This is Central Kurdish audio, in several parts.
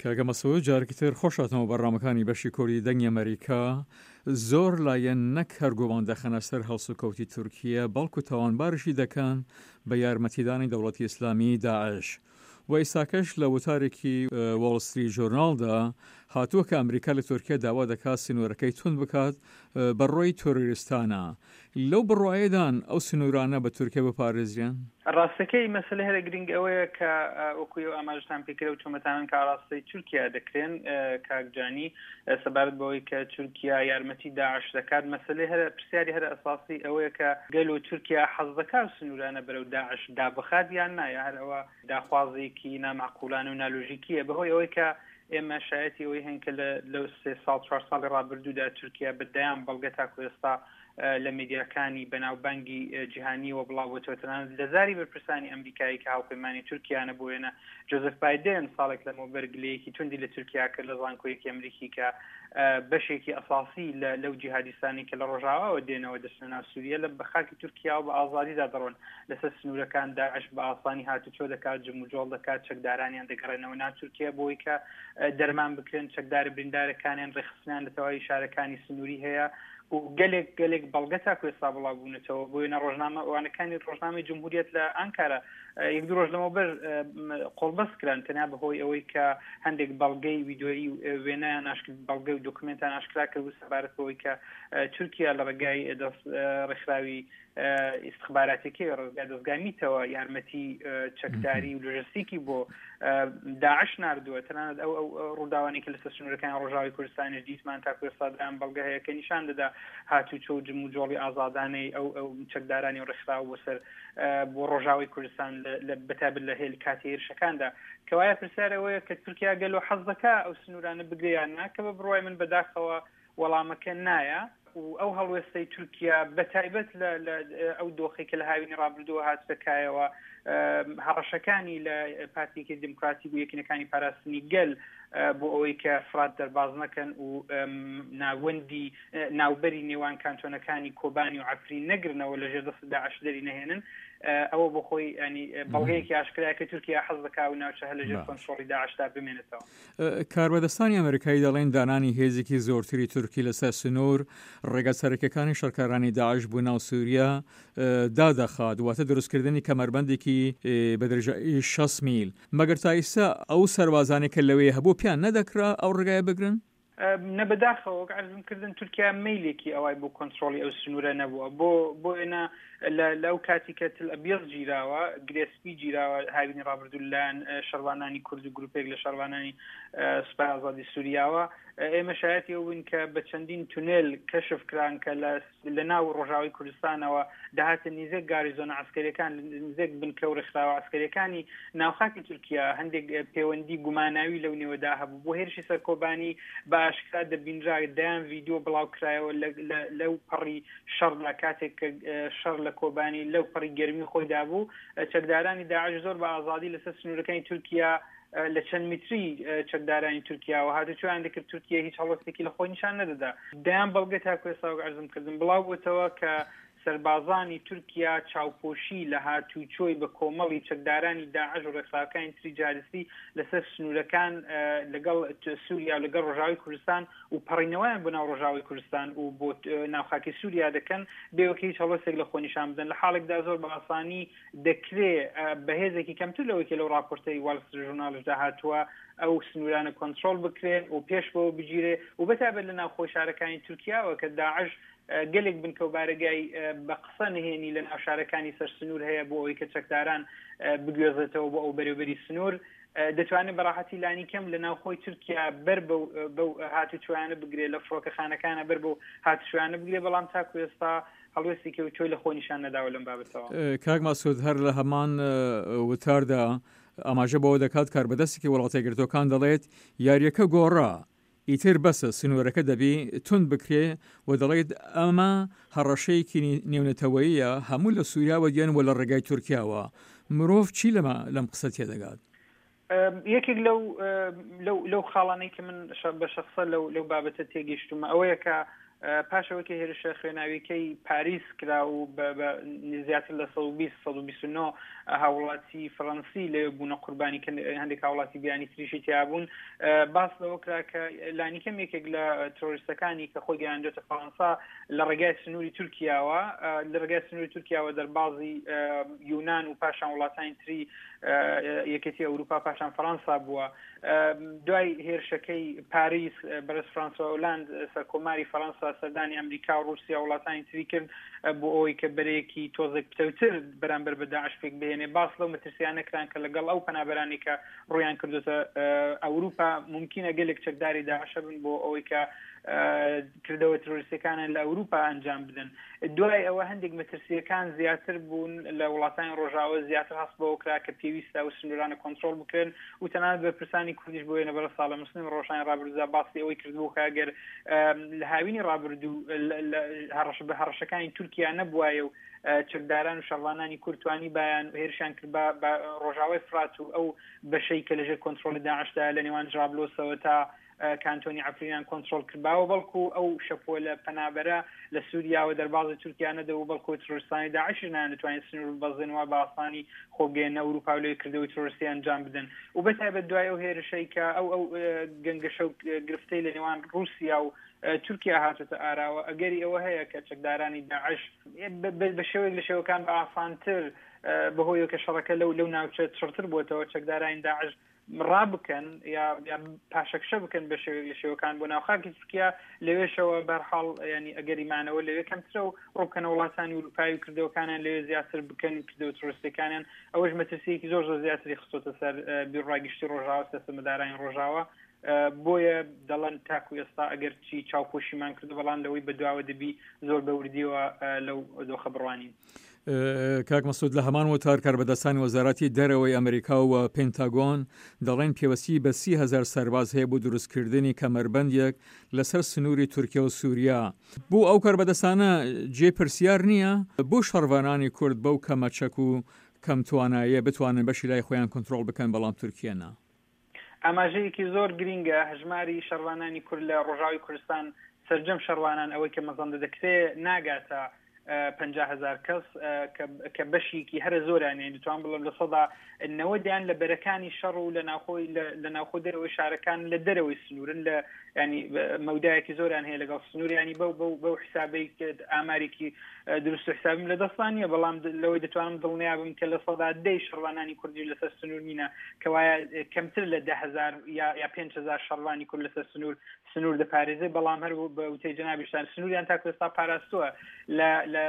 کاکە مەسعود جارێکی تر خۆش هاتنەوە بەرنامەکانی بەشی کوردی دەنگی ئەمەریکا. زۆر لایەن نەک هەر گومان دەخەنە سەر هەڵسوکەوتی تورکیە بەڵکو تاوانبارشی دەکەن بە یارمەتیدانی دەوڵەتی ئیسلامی داعش. و ئیستاکەش لە وتارێکی وۆڵ ستریت ژۆرناڵدا هاتووە کە ئەمریکا لە تورکیا داوا دەکات سنوورەکەی توند بکات بە ڕۆی تۆرۆریستانە. لەو بڕوایەدان ئەو سنوورانە بە تورکیا بپارێزرێن؟ ڕاستەکەی مەسەلەی هەرە گرنگ ئەوەیە کە وەکو ئێوە ئاماژەتان پێکرد ئەو تۆمەتانەن کە ئاڕاستەی تورکیا دەکرێن کاک جانی سەبارەت بەوەی کە تورکیا یارمەتی داعش دەکات مەسەلەی هەرە پرسیاری هەرە ئەساسی ئەوەیە کە گەلۆ تورکیا حەز دەکات سنوورانە بەرەو داعش دابخات یان نا یا هەر ئەوە داخوازێکی نامەعقولانە و نالۆژیکیە بەهۆی ئەوەی کە ئێمە شایەتی ئەوەی هەین کە لە لەو سێ ساڵ چوار ساڵی ڕابردوودا تورکیا بە دەیان بەڵگە تاکو ئێستا لە میدیاکانی بەناوبانگی جیهانیەوە بڵاوبووەتەوە تەنانەت لە زاری بەرپرسانی ئەمریکایی کە هاوپەیمانی تورکیانە بۆ وێنە جۆزف بایدن ساڵێک لەمەوبەر گلەیەکی توندی لە تورکیا کرد لە زانکۆیەکی ئەمریکی کە بەشێکی ئەساسی لە لەو جیهادیستانی کە لە ڕۆژاواوە دێنەوە دەچنە ناو سووریە لە بە خاکی تورکیاوە بە ئازادیدا دەڕۆن لەسەر سنوورەکان داعش بە ئاسانی هاتوچۆ دەکات جموجۆڵ دەکات چەکدارانیان دەگەڕێنەوە ناو تورکیا بۆی کە دەرمان بکرێن چەکدارە بریندارەکانیان ڕێکخستنیان لە تەواوی شارەکانی سنووری هەیە و گەلێک گەلێک بەڵگە تاکو ئێستا بڵاو بوونەتەوە بۆ وێنە ڕۆژنامە وانەکانی ڕۆژنامەی جمهوریەت لە ئانکارا یەک دوو ڕۆژ لەمەوبەر قۆڵبەست کران تەنیا بەهۆی ئەوەی کە هەندێک بەڵگەی ویدۆیی و وێنایان ئاشک بەڵگە و دۆکمێنتان ئاشکرا کرد و سەبارەت بەوەی کە تورکیا لە ڕێگای دەست ڕێکخراوی ئیستخباراتیەکەی ڕێگای دەزگای میتەوە یارمەتی چەکداری و لۆژستیکی بۆ داعش ناردووە تەنانەت ئەو ئەو ڕووداوانەی کە لەسەر سنوورەکانی ڕۆژاوی کوردستانیش دیتمان تاکو ئێستا دەیان بەڵگە هەیە کە نیشان دەدا هاتوچۆ و جموجۆڵی ئازادانەی ئەو ئەو چەکدارانی و ڕێکخراو بۆ سەر بۆ ڕۆژاوی کوردستان لە بەتایبەت لە هێل کاتی هێرشەکاندا کەوایە پرسیار ئەوەیە کە تورکیا گەلۆ حەز دەکا ئەو سنوورانە بگرێ یان نا کە بە بڕوای من بەداخەوە وەڵامەکە نایە و ئەو هەڵوێستەی تورکیا بەتایبەت لە ئەو دۆخی کە لە هاوینی ڕابردووە هاتە کایەوە هەڕەشەکانی لە پارتیکی دیموکراتی و یەکینەکانی پاراستنی گەل بۆ ئەوەی کە فرات دەرباز نەکەن و ناوەندی ناوبەری نێوان کانتۆنەکانی کۆبانی و عفرین نەگرنەوە لە ژێر دەست داعش دەری نەهێنن ئەوە بۆ خۆی ینی بەڵگەیەکی ئاشکرایە کە تورکیا حەز دەکا و ناوچە هەر لەژێر کۆنترۆڵی داعشدا بمێنێتەوە. کاربەدەستانی ئەمریکایی دەڵێن دانانی هێزێکی زۆرتری تورکی لەسەر سنوور ڕێگە سەرەکیەکانی شەڕکارانی داعش بۆ ناو سووریا دادەخات، واتە دروستکردنی کەمەربەندێکی بە درێژایی 60 میل. مەگەر تا ئیستا ئەو سەربازانەی کە لەوێ هەبوو پێیان نەدەکرا ئەو ڕێگایە بگرن؟ نە بەداخەوە وەک عەرزم کردن تورکیا مەیلێکی ئەوای بۆ کۆنترۆڵی ئەو سنوورە نەبووە بۆ بۆ وێنە لە لەو کاتی کە تل ئەبیەز گیراوە گرێ سپی گیراوە هاوینی ڕابردوو لەلایەن شەڕوانانی کورد و گروپێک لە شەڕوانانی سوپای ئازادی سووریاوە ئێمە شایەتی ئەو بووین کە بە چەندین تونێل کەشف کران کە لە لە ناو ڕۆژاوای کوردستانەوە دەهاتە نیزێک گاریزۆنە عەسکەریەکان، نزێک بنکە و ڕێکخراوە عەسکەریەکانی ناو خاکی تورکیا، هەندێک پێوەندی گوماناوی لەو نێوەدا هەبوو. بۆ هێرشی سەر کۆبانی بە ئاشکرا دەبینرا، دەیان ڤیدیۆ بڵاو کرایەوە لەو پەڕی شەڕدا، کاتێک کە شەڕ لە کۆبانی لەو پەڕی گەرمی خۆیدا بوو، چەکدارانی داعش زۆر بە ئازادی لەسەر سنوورەکانی تورکیا لە چەند میتری چەکدارانی تورکیاوە هاتوچۆیان دەکرد، تورکیە هیچ هەڵوێستێکی لە خۆی نیشان نەدەدا. دەیان بەڵگە تاکو ئێستا وەک عەرزم کردن بڵاو بۆتەوە کە سەربازانی تورکیا چاوپۆشی لە هاتوچۆی بە کۆمەڵی چەکدارانی داعش و ڕێکخراوەکانی تری جیهادیستی لەسەر سنوورەکان لەگەڵ سووریا و لەگەڵ ڕۆژاوای کوردستان و پەڕینەوەیان بۆ ناو ڕۆژاوای کوردستان و بۆ ناو خاکی سووریا دەکەن بێ وەک هیچ هەڵوێستێک لە خۆ نیشان بدەن لە حاڵێکدا زۆر بە ئاسانی دەکرێ بە هێزێکی کەمتر لەوەی کە لەو ڕاپۆرتەی واڵ ستریت ژورناڵشدا هاتووە ئەو سنوورانە کۆنترۆڵ بکرێن و پێش بەوە بگیرێ و بەتایبەت لە ناوخۆی شارەکانی تورکیاوە کە داعش گەلێک بنکە و بارەگای بە قسە نهێنی لە ناو شارەکانی سەر سنوور هەیە بۆ ئەوەی کە چەکداران بگوێزێتەوە بۆ ئەو بەرێوبەری سنوور دەتوانێت بەڕاحەتی لانی کەم لە ناوخۆی تورکیا بەر بەو هاتوچۆیانە بگرێ لە فڕۆکەخانەکانە بەر بەو هاتوچۆیانە بگرێ بەڵام تاکو ئێستا هەڵوێستێکی ئەوتۆی لە خۆ نیشان نەداوە لەم بابەتەوە. کاک مەسعود هەر لە هەمان وتاردا ئاماژە بەوە دەکات کاربەدەستێکی وڵاتە یەکگرتووەکان دەڵێت یارییەکە گۆڕا ئیتر بەسە سنوورەکە دەبی توند بکرێ و دەڵێت ئەمە هەڕەشەیەکی نێونەتەوەییە هەموو لە سووریاوە دێن و لە ڕێگای تورکیاوە مرۆڤ چی لەمە لەم قسە تێدەگات؟ یەکێک لەو لەو لەو خاڵانەی کە من بە شەخسە لەو لەو بابەتە تێگەیشتومە ئەوەیە کە. پاش ئەوەی کە هێرشە خوێناویەکەی پاریس کرا و بە زیاتر لە 120 129 هاوڵاتی فەڕەنسی لەوێ بوونە قوربانی کە هەندێک هاوڵاتی بیانی تریشی تیا بوون باس لەوە کرا کە لانیکەم یەکێک لە ترۆریستەکانی کە خۆی گەیاندۆتە فەڕەنسا لە ڕێگای سنووری تورکیاوە لە ڕێگای سنووری تورکیاوە دەربازی یونان و پاشان وڵاتانی تری یەکێتی ئەوروپا پاشان فەڕەنسا بووە. دوای هێرشەکەی پاریس بەرز فرانسوا ئۆلاند سەرکۆماری فەرەنسا سەردانی ئەمریکا و رووسیا وڵاتانی تری کرد بۆ ئەوەی کە بەرەیەکی تۆزێک پتەوتر بەرامبەر بە داعش پێک بهێنێ. باس لەو مەترسیانە کران کە لەگەڵ ئەو پەنابەرانی کە ڕوویان کردوتە ئەوروپا ممکنە گەلێک چەکداری داعشە بن بۆ ئەوەی کە کردەوە ترۆریستەکانیان لە ئەوروپا ئەنجام بدەن. دوای ئەوە هەندێک مەترسییەکان زیاتر بوون لە وڵاتانی ڕۆژاوە زیاتر هەست بەوە کرا کە پێویستە ئەو سنوورانە کۆنترۆڵ بکرێن و تەنانەت بەرپرسانی کوردیش بۆ وێنە بەڕێز ساڵح موسلیم ڕۆژانی ڕابردوودا باسی ئەوەی کردبوو کە ئەگەر لە هاوینی ڕابردوو هەڕەشە بە هەڕەشەکانی تورکیا نەبوایە و چەکداران و شەڕوانانی کورد توانیبایان و هێرشیان کرد بە ڕۆژاوای فرات و ئەو بەشەی کە لەژێر کۆنترۆڵی داعشدا لە نێوان جرابلۆسەوە تا کانتۆنی عەفرینیان کۆنترۆڵ کردباوە، بەڵکو ئەو شەپۆلە پەنابەرە لە سوریاوە دەربازی تورکیا نەدەبوو، بەڵکو ترۆریستانی داعشیش نەیاندەتوانی سنوور ببەزێن و بە ئاسانی خۆ بگەیەننە ئەوروپا و لەوێ کردەوەی ترۆریستی ئەنجام بدەن و بەتایبەت دوای ئەو هێرشەی کە ئەو ئەو گەنگەشە و گرفتەی لە نێوان ڕووسیا و تورکیا هاتۆتە ئاراوە، ئەگەری ئەوە هەیە کە چەکدارانی داعش بە شێوەیەک لە شێوەکان بە ئاسانتر بەهۆیەوە کە شەڕەکە لەو لەو ناوچە چڕتر بووەتەوە چەکدارانی داعش ڕابکەن یا پاشەکشە بکەن بە شێوەیەک لە شێوەکان بۆ ناو خاکی تورکیا لەوێشەوە بەرحاڵ ینی ئەگەری مانەوە لەوێ کەمترە و ڕووبکەنە وڵاتانی ئوروپایی و کردەوەکانیان لەوێ زیاتر بکەن و کردەوە ترۆریستەکانیان ئەوەش مەترسیەکی زۆر زۆر زیاتری خستۆتە سەر بیرڕای گشتی ڕۆژاوا سیاسەتمەدارانی ڕۆژاوا بۆیە دەڵێن تاکو ئێستا ئەگەر چی چاوپۆشیمان کردو بەڵام لەوەی بەدواوە دەبی زۆر بەوردیەوە لەو دۆخە بڕوانین. کاک مەسعود لە هەمان وتار کاربەدەستانی وەزارەتی دەرەوەی ئەمریکا و پنتاگۆن دەڵێن پێوەستی بە 30هزار سەرباز هەیە بۆ دروستکردنی کەمەربەندێک لەسەر سنووری تورکیا و سووریا. بۆ ئەو کاربەدەستانە جێی پرسیار نییە بۆ شەڕڤانانی کورد بەو کەمە چەک و کەم توانایە بتوانن بەشی لای خۆیان کۆنترۆڵ بکەن بەڵام تورکیە نا؟ ئاماژەیەکی زۆر گرینگە هەژماری شەڕوانانی کورد لە ڕۆژاوی کوردستان سەرجەم شەڕوانان ئەوەی کە مەزەندە دەکرێ ناگاتە 50 هەزار کەس کە بەشێکی هەرە زۆریان یانی دەتوان بڵێم 90%یان لە بەرەکانی شەڕ و لە ناوخۆی لە ناوخۆ دەرەوەی شارەکان لە دەرەوەی سنوورن لە ینی مەودایەکی زۆریان هەیە لەگەڵ سنووریانی بەو بەو بەو حسابەی ئامارێکی دروست و حسابیم لە دەستان نییە بەڵام لەوەی دەتوانم دڵنیا بم کە 10% شەڕوانانی کوردی لەسەر سنوور نینە کەوایە کەمتر لە 10هزار یا 5هزار شەڕوانی کورد لەسەر سنوور سنوور دەپارێزێ بەڵام هەر بە وتەی جەنابیشتان سنووریان تاکو ئێستا پاراستووە لە لە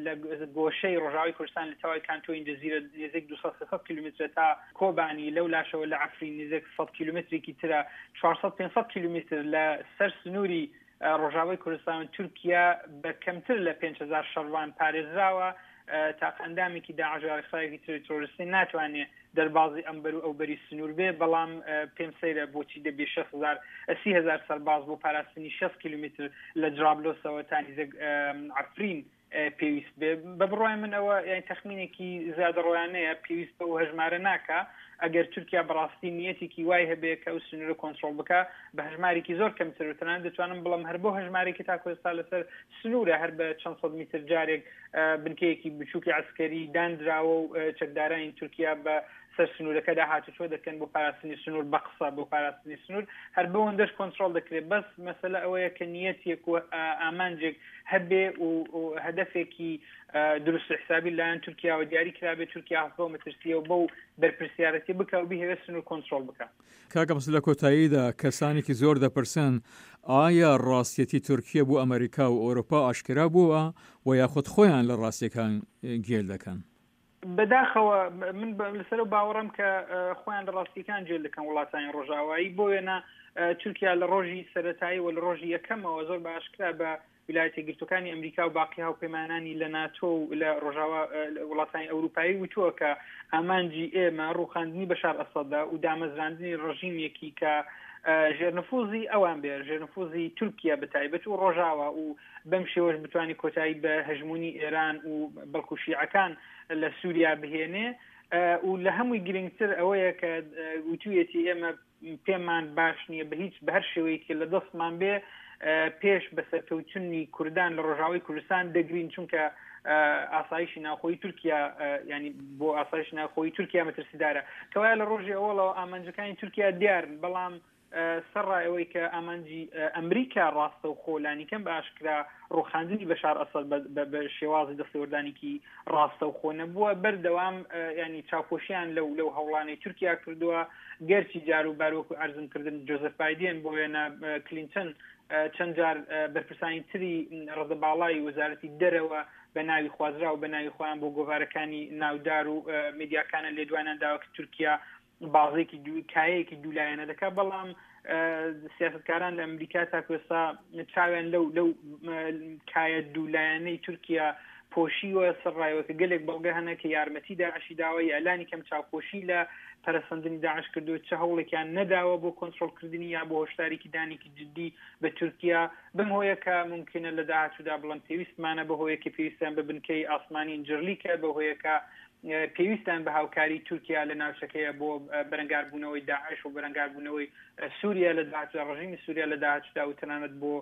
لە گۆشەی ڕۆژاوای کوردستان لە تەواوی کانتۆنی جزیرە نزیک 200 300 کیلومترە تا کۆبانی لەو لاشەوە لە عەفرین نزیک 100 کیلومترێکی ترە 400 500 کیلومتر لە سەر سنووری ڕۆژاوای کوردستان و تورکیا بە کەمتر لە 5000 شەڕوان پارێزراوە تاقە ئەندامێکی داعش یا ڕێکخراوێکی تری ترۆریستی ناتوانێ دەربازی ئەم بەر و ئەو بەری سنوور بێ، بەڵام پێم سەیرە بۆچی دەبێ 60 هەزار 30 هەزار سەرباز بۆ پاراستنی 60 کیلومتر لە جرابلۆسەوە تا نیزک عەفرین پێویست بێ. بە بڕوای من ئەوە یانی تەخمینێکی زیادەڕۆیانەیە، پێویست بەو هەژمارە ناکا. ئەگەر تورکیا بەڕاستی نیەتێکی وای هەبێ کە ئەو سنوورە کۆنترۆڵ بکا بە هەژمارێکی زۆر کەمتر و تەنانەت دەتوانم بڵێم هەر بەو هەژمارەی کە تاکو ئێستا لەسەر سنوورە هەر بە چەند سەد میتر جارێک بنکەیەکی بچووکی عەسکەری دانراوە و چەکدارانی تورکیا بە سەر سنوورەکەدا هاتوچۆ دەکەن بۆ پاراستنی سنوور بە قسە بۆ پاراستنی سنوور هەر بەوەندەش کۆنترۆڵ دەکرێت بەس مەسەلە ئەوەیە کە نیەتێک و ئامانجێک هەبێ و هەدەفێکی دروست و حسابی لایەن تورکیاوە دیاری کرابێت تورکیا هەست بەو مەترسیە و بەو بەرپرسیارەتی بکە و بیهەوێت سنوور کۆنترۆڵ بکە. کاک عەباس لە کۆتاییدا کەسانێکی زۆر دەپرسن ئایا ڕاستیەتی تورکیە بۆ ئەمەریکا و ئەوروپا ئاشکرا بووە و یاخود خۆیان لە ڕاستیەکان گێل دەکەن؟ بەداخەوە من لەسەر ئەو باوەڕەم کە خۆیان لە ڕاستیەکان گێل دەکەن وڵاتانی ڕۆژئاوایی بۆ وێنە تورکیا لە ڕۆژی سەرەتایی و لە ڕۆژی یەکەمەوە زۆر بە ئاشکرا بە ویلایەتە یەکگرتووەکانی ئەمریکا و باقی هاوپەیمانانی لە ناتۆ و لە ڕۆژاوا وڵاتانی ئەوروپایی وتووە کە ئامانجی ئێمە ڕووخاندنی بەشار ئەسەدە و دامەزراندنی ڕژیمێکی کە ژێرنفوزی ئەوان بێ ژێرنفوزی تورکیا بە تایبەت و ڕۆژاوا و بەم شێوەش بتوانانی کۆتایی بە هەژمونی ئێران و بەڵکو شیعەکان لە سووریا بهێنێ و لە هەمووی گرنگتر ئەوەیە کە وتوویەتی ئێمە. پێمان باش نییە بە هیچ بە هەر شێوەیەکی لە دەستمان بێ پێش بە سەرکەوتنی کوردان لە ڕۆژاوای کوردستان دەگرین چونکە ئاسایشی ناوخۆی تورکیا ینی بۆ ئاسایش ناوخۆی تورکیا مەترسیدارە کەوایە لە ڕۆژی ئەوڵەوە ئامانجەکانی تورکیا دیارن بەڵام سەرڕای ئەوەی کە ئامانجی ئەمریکا ڕاستەوخۆ لانیکەم بە ئاشکرا ڕوخاندنی بەشار ئەسەد بە شێوازی دەستێوەردانێکی ڕاستەوخۆ نەبووە، بەردەوام ینی چاوپۆشیان لەو لەو هەوڵانەی تورکیا کردووە، گەرچی جار و بار وەکو عەرزم کردن جۆزێف بایدێن بۆ وێنە کلینتن چەند جار بەرپرسانی تری ڕەدە باڵای وەزارەتی دەرەوە بە ناوی خوازراو بە ناوی خۆیان بۆ گۆڤارەکانی ناودار و میدیاکانە لێدوانیان داوە کە تورکیا بازێکی دوو کایەیەکی دوولایەنە دەکات بەڵام سیاستکاران لە ئەمریکا تاکو ئێستا چاویان لەو لەو کایە دوولایەنەی تورکیا پۆشیوە سەرڕایەوە کە گەلێک بەڵگە هەنە کە یارمەتی داعشی داوە یا لانی کەم چاوپۆشی لە پەرەسەندنی داعش کردو چه هەوڵێکیان نەداوە بۆ کۆنترۆڵکردنی یا بۆ هۆشداریکی دانێکی جدی بە تورکیا بەم هۆیە کە ممکنە لە داهاتوودا بڵێن پێویستمانە بە هۆیە کە پێویستیان بە بنکەی ئاسمانی ئینجرلیکە بە هۆیەکە پێویستیان بە هاوکاری تورکیا لە ناوچەکەیە بۆ بەرەنگاربوونەوەی داعش و بەرەنگاربوونەوەی سووریا لە داهاتوودا ڕژیمی سووریا لە داهاتوودا و تەنانەت بۆ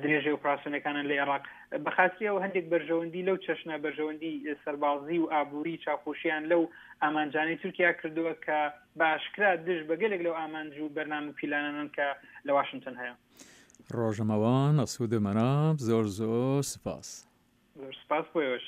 درێژەی ئۆپراسیۆنەکانیان لە عێراق بە خاتری ئەو هەندێک بەرژەوەندی لەو چەشنە بەرژەوەندی سەربازی و ئابووری چاوپۆشیان لەو ئامانجانەی تورکیا کردووە کە بە ئاشکرا دژ بە گەلێک لەو ئامانج و بەرنامە و پیلانانەن کە لە واشنتن هەیە. ڕۆژەمەوان ئەسوود مەناف زۆر زۆر سپاس. زۆر سپاس بۆ ئێوەش.